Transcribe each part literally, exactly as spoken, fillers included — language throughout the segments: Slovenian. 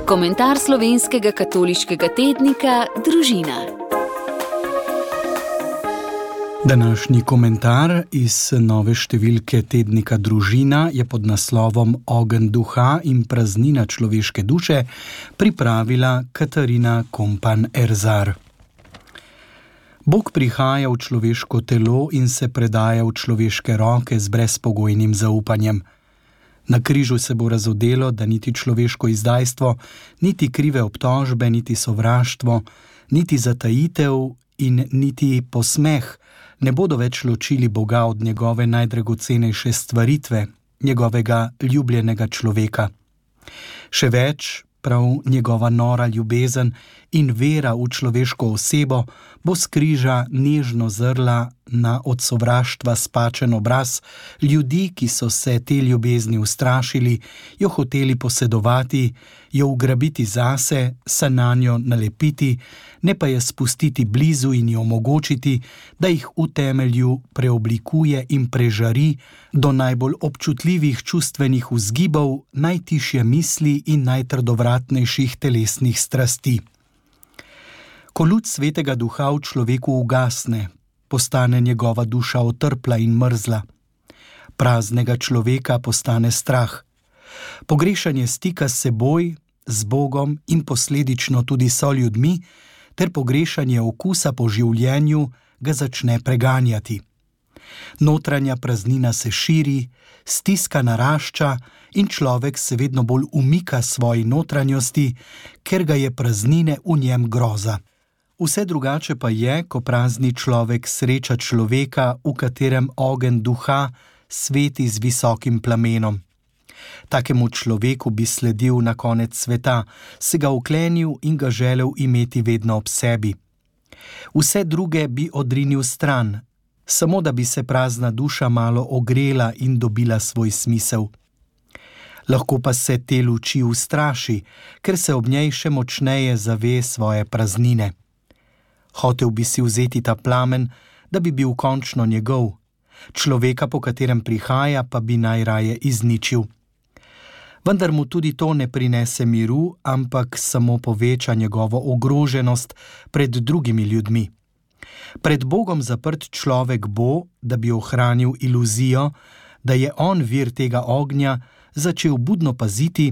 Komentar slovenskega katoliškega tednika Družina. Današnji komentar iz nove številke tednika Družina je pod naslovom Ogenj duha in praznina človeške duše pripravila Katarina Kompan Erzar. Bog prihaja v človeško telo in se predaja v človeške roke z brezpogojnim zaupanjem. Na križu se bo razodelo, da niti človeško izdajstvo, niti krive obtožbe, niti sovraštvo, niti zatajitev in niti posmeh ne bodo več ločili Boga od njegove najdragocenejše stvaritve, njegovega ljubljenega človeka. Še več, prav njegova nora ljubezen in vera v človeško osebo bo s križa nežno zrla na od sovraštva spačen obraz ljudi, ki so se te ljubezni ustrašili, jo hoteli posedovati, jo ugrabiti zase, se nanjo nalepiti, ne pa je spustiti blizu in jo omogočiti, da jih v temelju preoblikuje in prežari do najbolj občutljivih čustvenih vzgibov, najtišje misli in najtrdovratnejših telesnih strasti. Ko luč svetega duha v človeku ugasne, postane njegova duša otrpla in mrzla. Praznega človeka postane strah. Pogrešanje stika s seboj, z Bogom in posledično tudi so ljudmi, ter pogrešanje okusa po življenju ga začne preganjati. Notranja praznina se širi, stiska narašča in človek se vedno bolj umika svoji notranjosti, ker ga je praznine v njem groza. Vse drugače pa je, ko prazni človek sreča človeka, v katerem ogenj duha sveti z visokim plamenom. Takemu človeku bi sledil na konec sveta, se ga uklenil in ga želel imeti vedno ob sebi. Vse druge bi odrinil stran, samo da bi se prazna duša malo ogrela in dobila svoj smisel. Lahko pa se te luči ustraši, ker se ob njej še močneje zave svoje praznine. Hotel bi si vzeti ta plamen, da bi bil končno njegov, človeka, po katerem prihaja, pa bi najraje izničil. Vendar mu tudi to ne prinese miru, ampak samo poveča njegovo ogroženost pred drugimi ljudmi. Pred Bogom zaprt človek bo, da bi ohranil iluzijo, da je on vir tega ognja, začel budno paziti,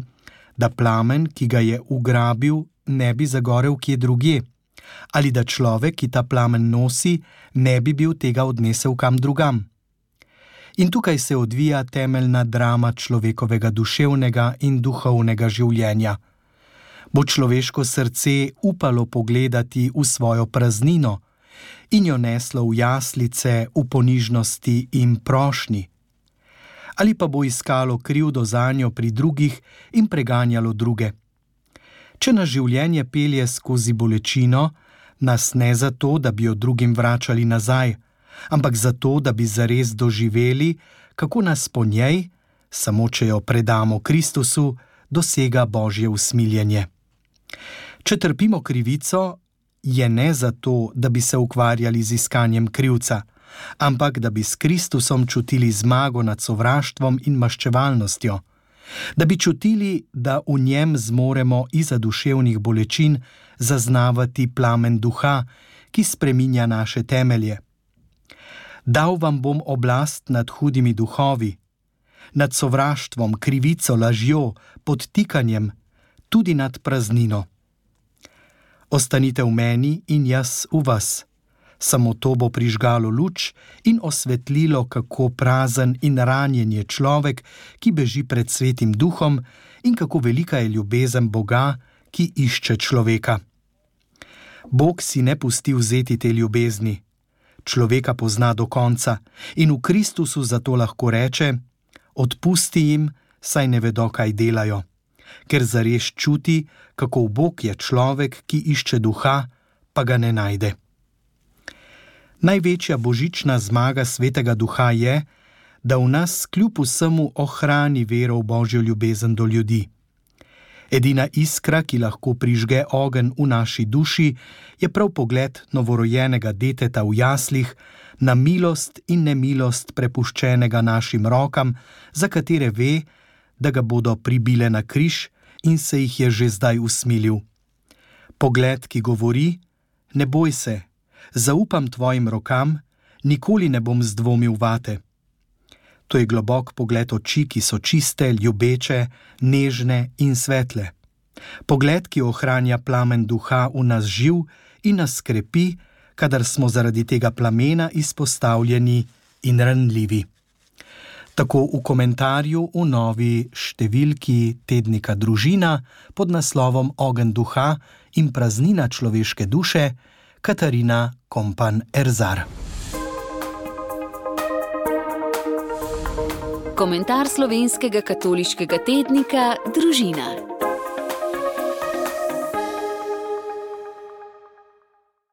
da plamen, ki ga je ugrabil, ne bi zagorel kje drugje, ali da človek, ki ta plamen nosi, ne bi bil tega odnesel kam drugam. In tukaj se odvija temeljna drama človekovega duševnega in duhovnega življenja. Bo človeško srce upalo pogledati v svojo praznino in jo neslo v jaslice, v ponižnosti in prošnji? Ali pa bo iskalo krivdo zanjo pri drugih in preganjalo druge? Če nas življenje pelje skozi bolečino, nas ne zato, da bi jo drugim vračali nazaj, ampak zato, da bi zares doživeli, kako nas po njej, samo če jo predamo Kristusu, dosega Božje usmiljenje. Če trpimo krivico, je ne zato, da bi se ukvarjali z iskanjem krivca, ampak da bi s Kristusom čutili zmago nad sovraštvom in maščevalnostjo, da bi čutili, da v njem zmoremo izza duševnih bolečin zaznavati plamen duha, ki spreminja naše temelje. Dal vam bom oblast nad hudimi duhovi, nad sovraštvom, krivico, lažjo, podtikanjem, tudi nad praznino. Ostanite v meni in jaz v vas. Samo to bo prižgalo luč in osvetlilo, kako prazen in ranjen je človek, ki beži pred svetim duhom, in kako velika je ljubezen Boga, ki išče človeka. Bog si ne pusti vzeti te ljubezni. Človeka pozna do konca in v Kristusu zato lahko reče: odpusti jim, saj ne vedo, kaj delajo, ker zares čuti, kako Bog je človek, ki išče duha, pa ga ne najde. Največja božična zmaga svetega duha je, da v nas kljub vsemu ohrani vero v Božjo ljubezen do ljudi. Edina iskra, ki lahko prižge ogenj v naši duši, je prav pogled novorojenega deteta v jaslih na milost in nemilost prepuščenega našim rokam, za katere ve, da ga bodo pribile na križ in se jih je že zdaj usmilil. Pogled, ki govori: ne boj se, zaupam tvojim rokam, nikoli ne bom zdvomil vate. To je globok pogled oči, ki so čiste, ljubeče, nežne in svetle. Pogled, ki ohranja plamen duha v nas živ in nas krepi, kadar smo zaradi tega plamena izpostavljeni in ranljivi. Tako v komentarju v novi številki tednika Družina pod naslovom Ogenj duha in praznina človeške duše Katarina Kompan Erzar. Komentar slovenskega katoliškega tednika Družina.